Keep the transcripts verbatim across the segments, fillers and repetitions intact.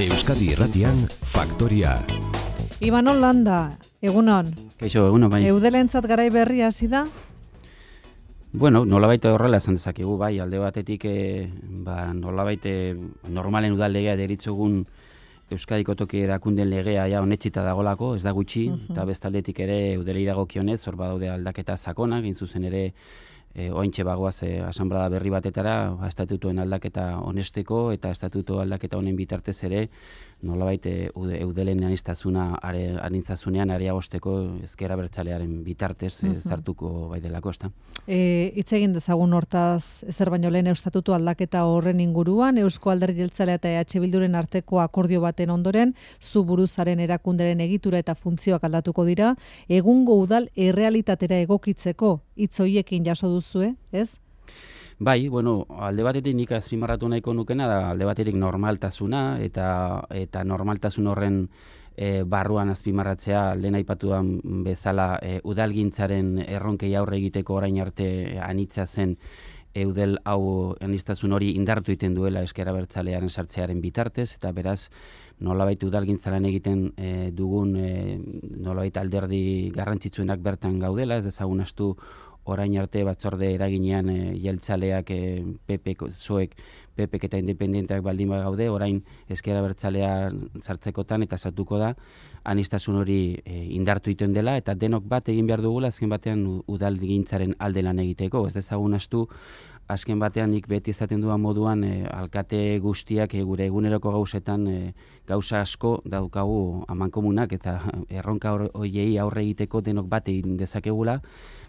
Euskadi Irratian Faktoria. Imanol Landa, egunon. Kaixo, egunon, bai. Eudelentzat garai berria hasi da? Bueno, nolabait horrela esan dezakegu, bai, alde batetik e, ba, nolabait normalen udal legea deritzogun Euskadiko toki erakundeen legea ja onetsita dagolako, ez da gutxi, uh-huh. eta bestaldetik ere eudelei dagokionez, hor badaude aldaketa sakonak, egin zuzen ere e, ointxe bagoaz e, asanblada berri batetara, ba, estatutuen aldaketa onesteko eta estatutu aldaketa honen bitartez ere nolabait e, eudelen anistazuna anintzazunean areagosteko ezker abertzalearen bitartez uh-huh. e, zartuko bai delako, ezta. E, hitz egin dezagun hortaz ezer baino lehen estatutu aldaketa horren inguruan, Eusko Alderdi Jeltzalea eta E H Bilduren arteko akordio baten ondoren, zu buruzaren erakunderen egitura eta funtzioak aldatuko dira, egungo udal errealitatera egokitzeko hitz horiekin jaso duzue, ez? Bai, bueno, alde batetik nik azpimarratu nahiko nukena da alde batetik normaltasuna eta eta normaltasun horren e, barruan azpimarratzea lehen aipatuan bezala e, udalgintzaren erronkei aurre egiteko orain arte anitza zen eudel hau aniztasun hori indartu egiten duela ezker abertzalearen sartzearen bitartez, eta beraz nolabait udalgintzalan egiten e, dugun e, nolabait alderdi garrantzitsuenak bertan gaudela, ez dezagun astu orain arte batzorde eraginean e, jeltzaleak e, P P, zoek, P P eta independenteak baldin gaude, orain ezker abertzalea sartzekotan eta sartuko da aniztasun hori e, indartu egiten dela, eta denok bat egin behar dugula azken batean udalgintzaren alde lan egiteko, ez dezagun astu azken batean nik beti izaten duan moduan e, alkate guztiak e, gure eguneroko gauzetan e, gauza asko daukagu amankomunak eta erronka horiei aurre egiteko denok bat egin dezakegula.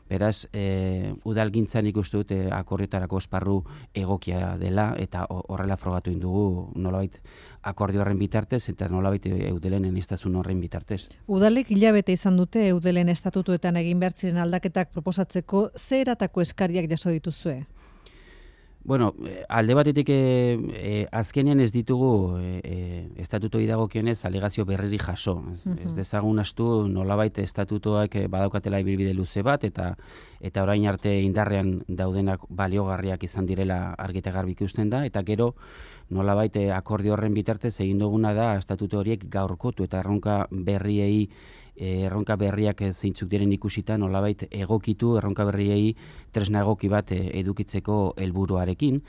Beraz, e, udalgintzan ikustu dut e, akordioetarako esparru egokia dela eta horrela frogatu indugu nolabait akordio horren bitartez eta nolabait eudelen aniztasun horren bitartez. Udalek hilabete izan dute eudelen estatutuetan egin behar ziren aldaketak proposatzeko, ze eratako eskariak jaso dituzue? Bueno, alde batetik e, e, azkenean ez ditugu e, e, estatutoi dagokionez alegazio berriri jaso. Ez, uh-huh. ez dezagun astu nolabait estatutoak badaukatela ibilbide luze bat eta eta orain arte indarrean daudenak baliogarriak izan direla argi eta garbi ikusten da, eta gero nolabait akordio horren bitartez egin duguna da estatuto horiek gaurkotu eta erronka berriei erronka berriak zeintzuk diren ikusita nolabait egokitu erronka berriei tresna egoki bat edukitzeko helburuarekin,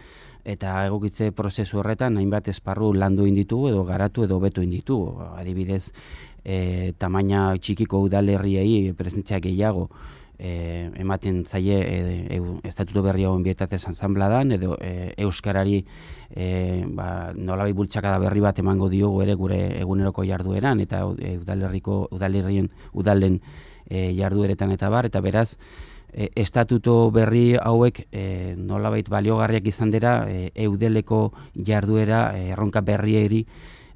eta egokitze prozesu horretan hainbat esparru landu inditugu edo garatu edo beto inditugu. Adibidez, e, tamaina txikiko udalerriei presentzia gehiago E, ematen zaie e, e, estatuto berri hauen bitartez ansambladan edo e, euskarari e, ba, nolabait bultzakada berri bat emango diogu ere gure eguneroko jardueran eta e, udalerriko udalerrien udalen e, jardueretan eta bar, eta beraz e, estatuto berri hauek e, nolabait baliogarriak izan dira e, eudeleko jarduera e, erronka berrieri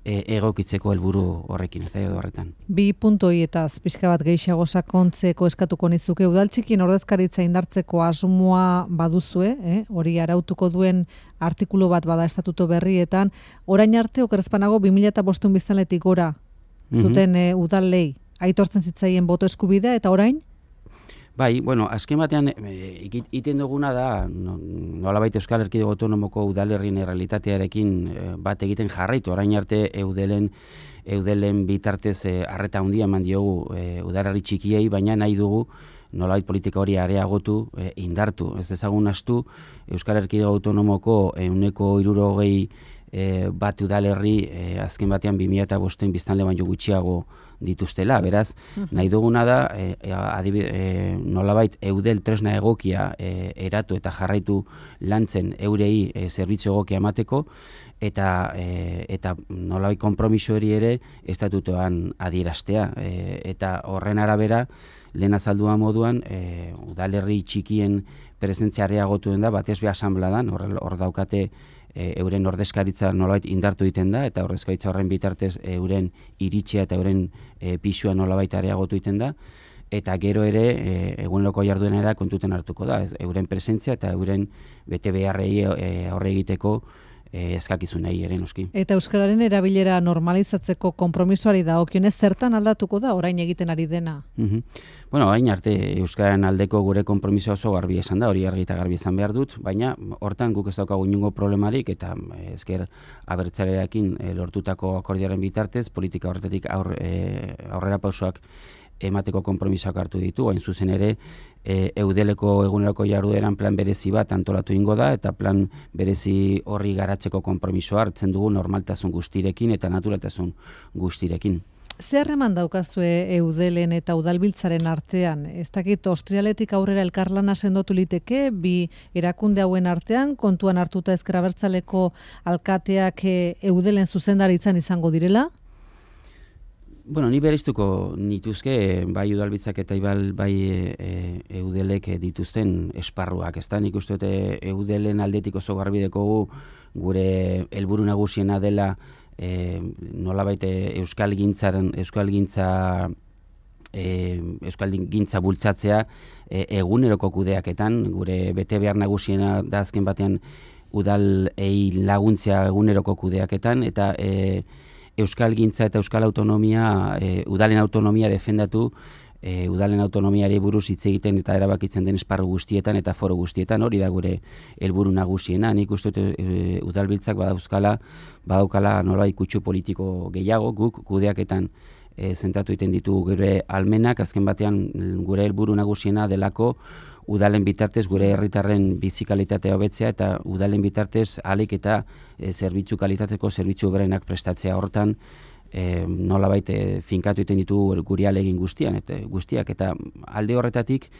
egokitzeko helburu horrekin, eta edo horretan. Bi puntoietaz pixka bat gehiago sakontzeko eskatuko nizuke, udaltxikin ordezkaritza indartzeko asmoa baduzue, eh? hori arautuko duen artikulu bat bada estatuto berrietan, orain arte okerrezpanago bi mila bostehun biztanletik gora zuten mm-hmm. e, udalei aitortzen zitzaien boto eskubidea, eta orain? Bai, bueno, azken batean iten duguna da nolabait Euskal Erkidego Autonomoko udalerrien errealitatearekin bat egiten jarraitu. Orain arte eudelen eudelen bitartez harreta handia eman diogu e, udalerri txikiei, baina nahi dugu nolabait politika hori areagotu, e, indartu. Ez dezagun astu Euskal Erkidego Autonomoko ehuneko hirurogei e, bat udalerri e, azken batean bi mila bostehun biztanle baino gutxiago dituztela, beraz, nahi duguna da e, adibide, e, nolabait eudel tresna egokia e, eratu eta jarraitu lantzen eurei e, zerbitzu egokia emateko, eta e, eta nolabait konpromiso hori ere estatutoan adieraztea, e, eta horren arabera lehen azaldua moduan e, udalerri txikien presentzia areagotu den da, batez be asanbladan, hor, hor daukate E, euren ordezkaritza nolabait indartu egiten da, eta ordezkaritza horren bitartez euren iritsia eta euren e, pisua nolabait areagotu egiten da, eta gero ere e, eguneroko jarduenera kontuten hartuko da, ez, euren presentzia eta euren bete beharrei e, aurre egiteko e, eskakizunei ere noski. Eta euskararen erabilera normalizatzeko konpromisoari dagokionez zertan aldatuko da orain egiten ari dena? Mm-hmm. Bueno, orain arte euskararen aldeko gure konpromisoa oso garbi esan da, hori argi eta garbi izan behar dut, baina hortan guk ez daukagu inongo problemarik eta ezker abertzalerekin e, lortutako akordioaren bitartez politika horretatik aur, e, aurrera pausoak emateko konpromisoak hartu ditu, hain zuzen ere e, Eudeleko eguneroko jardueran plan berezi bat antolatu ingo da eta plan berezi horri garatzeko konpromisoa hartzen dugu normaltasun guztirekin eta naturaltasun guztirekin. Zer eman daukazue Eudelen eta Udalbiltzaren artean? Ez dakit Ostrialetik aurrera elkarlana sendotu liteke, bi erakunde hauen artean, kontuan hartuta Ezker Abertzaleko alkateak Eudelen zuzendaritzan izango direla? Bueno, ni bereiztuko nituzke bai Udalbiltzak eta bai, bai e, Eudelek dituzten esparruak. Ez da, nik uste dute Eudelen aldetik oso garbi dekogu gure helburu nagusiena dela E, nolabait euskal gintzaren euskal gintza e, euskal gintza bultzatzea e, eguneroko kudeaketan gure bete behar nagusiena da azken batean udalei laguntzea eguneroko kudeaketan eta e, euskal gintza eta euskal autonomia e, udalen autonomia defendatu E, udalen autonomiari buruz hitz egiten eta erabakitzen den esparru guztietan eta foro guztietan, hori da gure helburu nagusiena. Nik uste dut e, Udalbiltzak badauzkala, badaukala nolabait kutsu politiko gehiago, guk kudeaketan e, zentratu egiten ditu gure almenak, azken batean gure helburu nagusiena delako udalen bitartez gure herritarren bizi kalitatea hobetzea eta udalen bitartez ahalik eta e, zerbitzu kalitateko zerbitzu berenak prestatzea. Hortan E, nolabait e, finkatu egiten ditu guri alegin guztian eta guztiak eta alde horretatik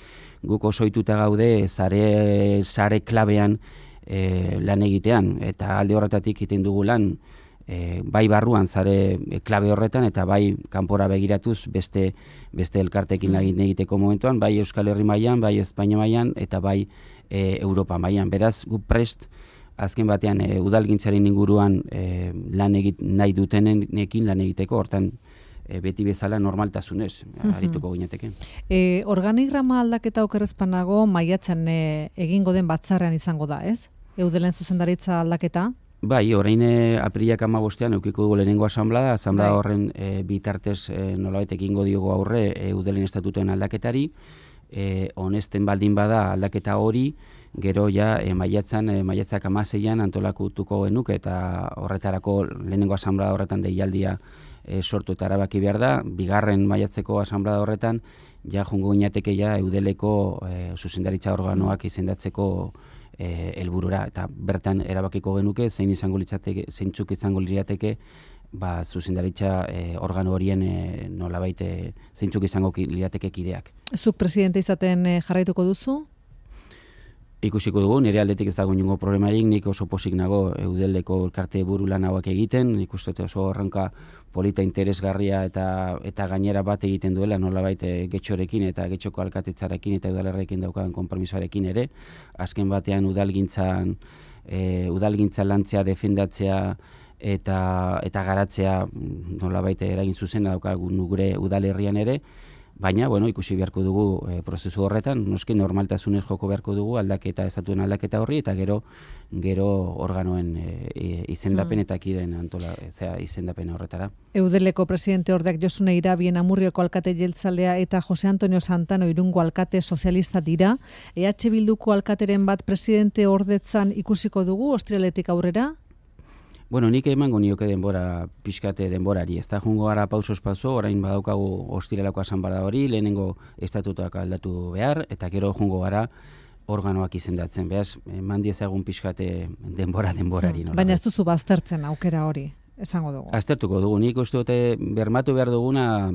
guk oso ohituta gaude sare sare klabean e, lan egitean eta alde horretatik egiten dugu lan e, bai barruan sare klabe horretan eta bai kanpora begiratuz beste beste elkarteekin lan egiteko momentuan bai Euskal Herri mailan, bai Espainia mailan eta bai e, Europa mailan. Beraz, guk prest azken batean e, udalgintzaren inguruan e, lan egit nahi dutenekin lan egiteko, hortan e, beti bezala normaltasunez arituko ginateke. E, organigrama aldaketa okerrezpanago maiatzen e, egingo den batzarrean izango da, ez? Eudelen zuzendaritza aldaketa? Bai, orain e, aprilak hamabostean eukiko dugu lehenengo asanblada, asanblada bai. Horren e, bitartez e, nolabait egingo diogo aurre e, Eudelen estatutuen aldaketari, e, honesten baldin bada aldaketa hori, gero ja e, maiatzan, e, maiatzak hamaseian antolakutuko genuke eta horretarako lehenengo asanblada horretan deialdia e, sortu eta erabaki behar da, bigarren maiatzeko asanblada horretan ja jungo ginateke ja Eudeleko e, zuzendaritza organoak izendatzeko helburura e, eta bertan erabakiko genuke zein izango litzateke, zeintzuk izango lirateke ba zuzendaritza e, organo horien e, nolabait e, zeintzuk izango lirateke kideak. Zuk presidente izaten e, jarraituko duzu? Ikusiko dugu, nire aldetik ez dago inongo problemarik, nik oso posik nago Eudeleko elkarte buru lan hauak egiten, nik uste oso horrenka polita interesgarria eta eta gainera bat egiten duela nolabait e, getxorekin eta getxoko alkatetzarekin eta udalerrekin daukadan konpromisoarekin ere. Azken batean udalgintzan e, udalgintza lantzea defendatzea eta eta garatzea nolabait eragin zuzena daukagu gure udalerrian ere. Baina, bueno, ikusi beharko dugu e, prozesu horretan, noski normaltasunez joko beharko dugu aldaketa, estatuen aldaketa horri, eta gero gero organoen e, izendapen eta kideen antola, zera izendapen horretara. Eudeleko presidente ordeak Josune Irabien Amurrioko alkate jeltzalea eta Jose Antonio Santano Irungo alkate sozialista dira. E H Bilduko alkateren bat presidente ordetzan ikusiko dugu, Ostrialetik aurrera? Bueno, nik emango nioke denbora, pixkate denborari, ez da jungo gara pausos pauso, orain badaukagu ostiralako asanblada hori, lehenengo estatutuak aldatu behar, eta gero jungo gara organoak izendatzen, behaz, eman diezagun pixkate denbora denborari. Hmm. Baina ez duzu baztertzen aukera hori, esango dugu. Aztertuko dugu, nik uste dute bermatu behar duguna,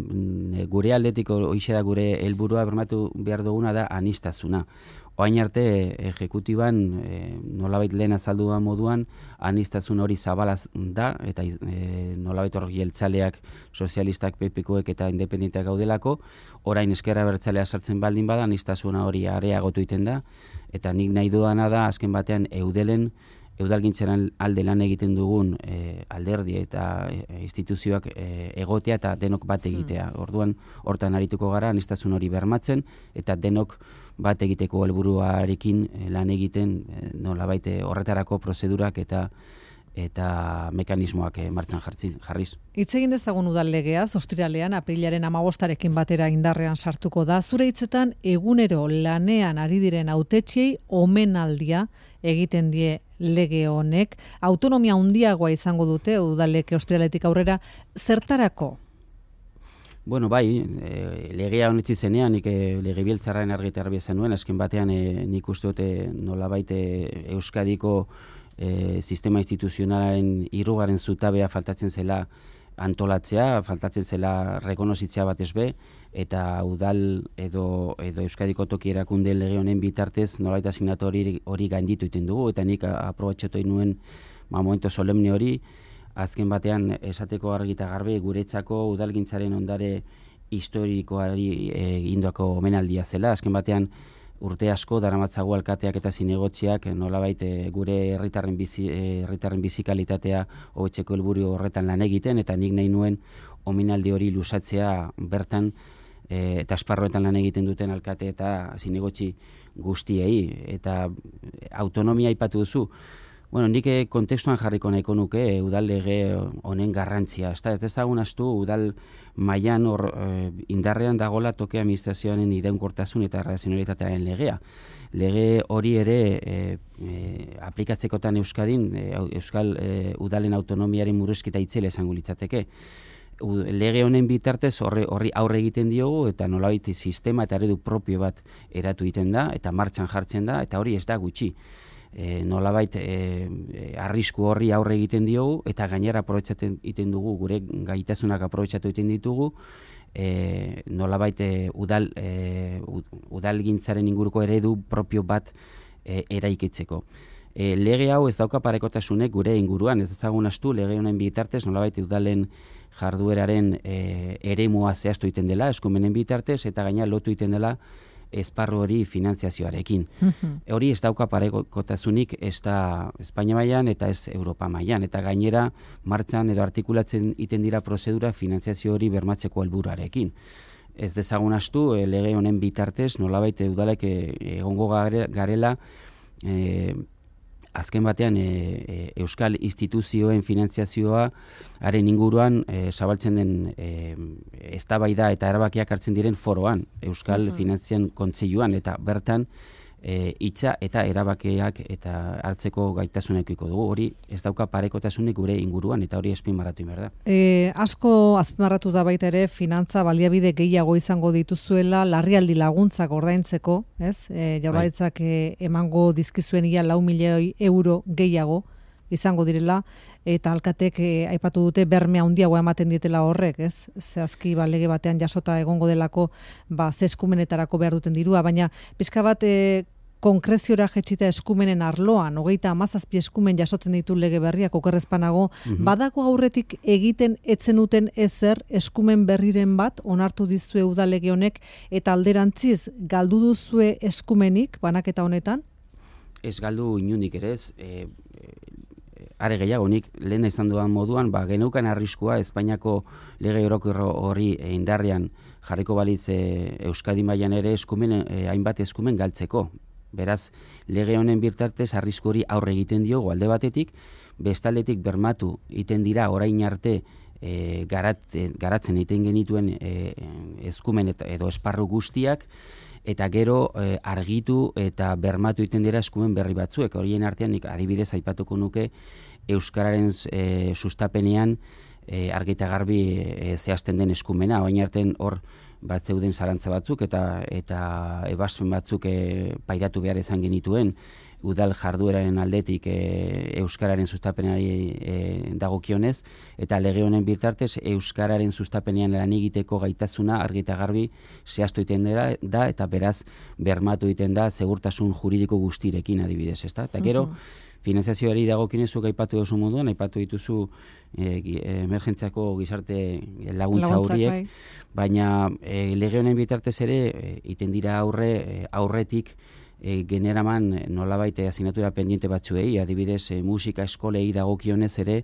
gure aldetiko hoixe da gure helburua bermatu behar duguna da anistazuna. Oain arte, ejekutiban, e, nolabait lehen azalduan moduan, anistazun hori zabalaz da, eta e, nolabait hor jeltzaleak, sozialistak, pepikoek eta independenteak gaudelako, orain Ezker Abertzalea sartzen baldin bada, anistazuna hori areagotu egiten da, eta nik nahi duana da, azken batean, Eudelen, Eudalgintzaren alde lan egiten dugun e, alderdi eta e, instituzioak e, egotea eta denok bat egitea. Hmm. Orduan, hortan arituko gara, anistazun hori bermatzen, eta denok bat egiteko helburuarekin lan egiten nolabait horretarako prozedurak eta eta mekanismoak e, martxan jartzi, jarriz. Hitz egin dezagun udal legeaz, ostiralean aprilaren hamabostarekin batera indarrean sartuko da. Zure hitzetan egunero lanean ari diren hautetsiei omenaldia egiten die lege honek. Autonomia handiagoa izango dute udalek ostiraletik aurrera, zertarako? Bueno, bai, e, legea honetzi zenean, nik e, legebiltzarraren argitar zenuen, azken batean e, nik uste dute nolabait e, Euskadiko e, sistema instituzionalaren hirugarren zutabea faltatzen zela antolatzea, faltatzen zela rekonozitzea batez be, eta udal edo, edo Euskadiko toki erakunde lege honen bitartez nolabait asignatu hori, hori gainditu iten dugu, eta nik aprobatxatu nuen ma, momento solemne hori, azken batean esateko argi eta garbi guretzako udalgintzaren ondare historikoari egindako omenaldia zela. Azken batean urte asko daramatzago alkateak eta zinegotziak nolabait gure herritarren bizi herritarren bizikalitatea hobetzeko helburu horretan lan egiten, eta nik nahi nuen omenaldi hori luzatzea bertan e, eta esparroetan lan egiten duten alkate eta zinegotzi guztiei. Eta autonomia aipatu duzu. Bueno, nik kontestuan jarriko nahiko nuke e, udal lege honen garrantzia. Ez da, ez dezagun astu udal mailan hor e, indarrean dagola toke administrazioaren iraunkortasun eta razionalitatearen legea. Lege hori ere e, e, aplikatzekotan Euskadin, e, Euskal e, udalen autonomiaren murrizketa itzela esango litzateke. Lege honen bitartez horri, horri aurre egiten diogu, eta nolabait sistema eta eredu propio bat eratu egiten da, eta martxan jartzen da, eta hori ez da gutxi. E, nolabait e, arrisku horri aurre egiten diogu, eta gainera aprobetxatzen egiten dugu, gure gaitasunak aprobetxatu egiten ditugu, e, nolabait e, udal, e, udalgintzaren inguruko eredu propio bat e, eraikitzeko. E, lege hau ez dauka parekotasunek gure inguruan, ez ezagun astu lege honen bitartez nolabait udalen jardueraren e, eremua zehaztu egiten dela, eskumenen bitartez, eta gaina lotu egiten dela esparru hori finantziazioarekin. Hori ez dauka parekotasunik ez da Espainia mailan eta ez Europa mailan, eta gainera martxan edo artikulatzen iten dira prozedura finantziazio hori bermatzeko helburuarekin. Ez dezagun astu e, lege honen bitartez nolabait udalek egongo garela e, azken batean e, e, Euskal instituzioen finantziazioa haren inguruan e, zabaltzen den e, eztabaida eta erabakiak hartzen diren foroan, Euskal uh-huh. Finantzien Kontseiluan, eta bertan e, hitza eta erabakiak eta hartzeko gaitasunekiko dugu. Hori ez dauka parekotasunik gure inguruan, eta hori azpimarratu behar da. E, asko azpimarratu da baita ere finantza baliabide gehiago izango dituzuela larrialdi laguntzak ordaintzeko, ez? E, Jaurlaritzak e, emango dizkizuen ia lau milioi euro gehiago izango direla, eta alkatek e, aipatu dute berme handiagoa ematen dietela horrek, ez? Zehazki ba, lege batean jasota egongo delako ba, ze eskumenetarako behar duten dirua, baina pixka bat e, konkreziora jetxita eskumenen arloan, hogeita hamazazpi eskumen jasotzen ditu lege berriak okerrezpanago, mm-hmm. badago aurretik egiten etzen duten ezer eskumen berriren bat onartu dizue udalege honek, eta alderantziz galdu duzue eskumenik banaketa honetan? Ez galdu inunik ere ez, e, are gehiago nik lehen izan duan moduan, ba, geneukan arriskua Espainiako lege orokorro hori indarrean jarriko balitz e, Euskadi mailan ere eskumen, e, hainbat eskumen galtzeko. Beraz, lege honen bitartez arrisku hori aurre egiten diogu alde batetik, bestaldetik bermatu egiten dira orain arte e, garat, e, garatzen egiten genituen e, eskumen eta, edo esparru guztiak, eta gero e, argitu eta bermatu egiten dira eskumen berri batzuek. Horien artean nik adibidez aipatuko nuke Euskararen e, sustapenean e, argi eta garbi e, zehazten den eskumena. Orain artean hor bat zeuden zalantza batzuk eta eta ebaspen batzuk e, pairatu behar izan genituen udal jardueraren aldetik e, Euskararen sustapenari e, dagokionez, eta lege honen bitartez Euskararen sustapenean lan egiteko gaitasuna argi eta garbi zehaztu egiten dela da, eta beraz bermatu egiten da segurtasun juridiko guztirekin adibidez, ezta? Eta gero finanziazioari dagokionezuk aipatu duzu moduan, aipatu dituzu e, emergentziako gizarte laguntza horiek, bai. Baina e, lege honen bitartez ere e, iten dira aurre e, aurretik e, generaman nolabait asignatura pendiente batzuei, adibidez e, musika eskolei dagokionez ere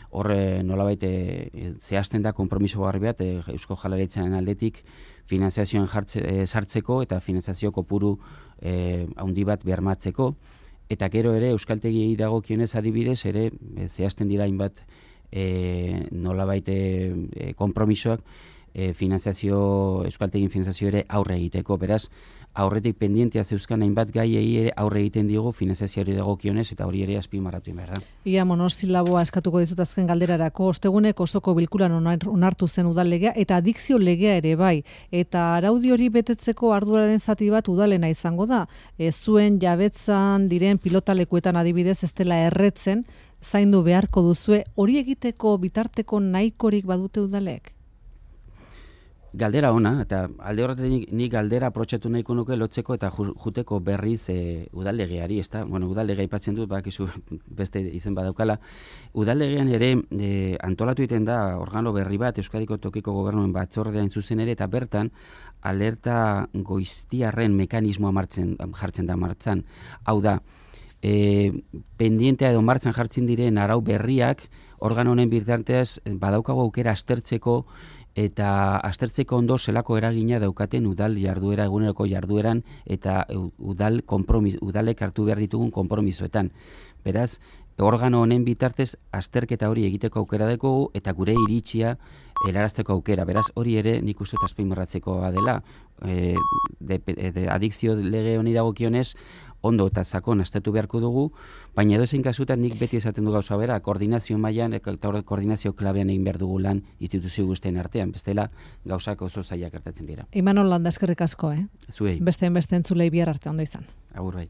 hor e, nolabait e, zehazten da konpromiso garbi bat e, Eusko Jaurlaritzaren aldetik finanziazioan jartze, e, sartzeko eta finanziazio kopuru e, handi bat bermatzeko. eta gero ere euskaltegiei dagokionez adibidez ere e, zehazten dira hainbat e, nolabait e, konpromisoak e, finanziazio, euskaltegin finanziazio ere aurre egiteko, beraz, aurretik pendientea zeuzkan hainbat gaiei ere aurre egiten digu finanziazioari dagokionez eta hori ere azpimarratu behar da. Ia monosilaboa eskatuko dizut azken galderarako, ostegunek osoko bilkuran onartu zen udal legea eta adikzio legea ere bai, eta araudi hori betetzeko arduraren zati bat udalena izango da. E, zuen jabetzan diren pilotalekuetan adibidez ez dela erretzen, zaindu beharko duzue, hori egiteko bitarteko nahikorik badute udalek? Galdera ona, eta alde horretik nik galdera aprotxatu nahiko nuke lotzeko eta juteko berriz e, udallegeari, ezta? Bueno, udallegea aipatzen dut, bakizu beste izen badaukala. Udallegean ere e, antolatu egiten da organo berri bat, Euskadiko tokiko gobernuen batzordean zuzen ere, eta bertan alerta goiztiarren mekanismoa martzen, jartzen da martzan. Hau da, e, pendientea edo martzan jartzen diren arau berriak, organo honen bitartez badaukago aukera aztertzeko eta aztertzeko ondo zelako eragina daukaten udal jarduera, eguneroko jardueran eta udal konpromis, udalek hartu behar ditugun konpromisoetan. Beraz, organo honen bitartez azterketa hori egiteko aukera dugu eta gure iritzia helarazteko aukera. Beraz, hori ere nik uste azpimarratzekoa dela. E, de, de, adikzio lege honi dagokionez, ondo eta sakon aztertu beharko dugu, baina edozein kasutan nik beti esaten du gauza bera, koordinazio mailan eta koordinazio klabean egin behar dugu lan instituzio guztien artean, bestela gauzak oso zailak gertatzen dira. Imanol Landa, eskerrik asko, eh? Zuei. Besteen beste entzulei bihar arte ondo izan. Agur bai.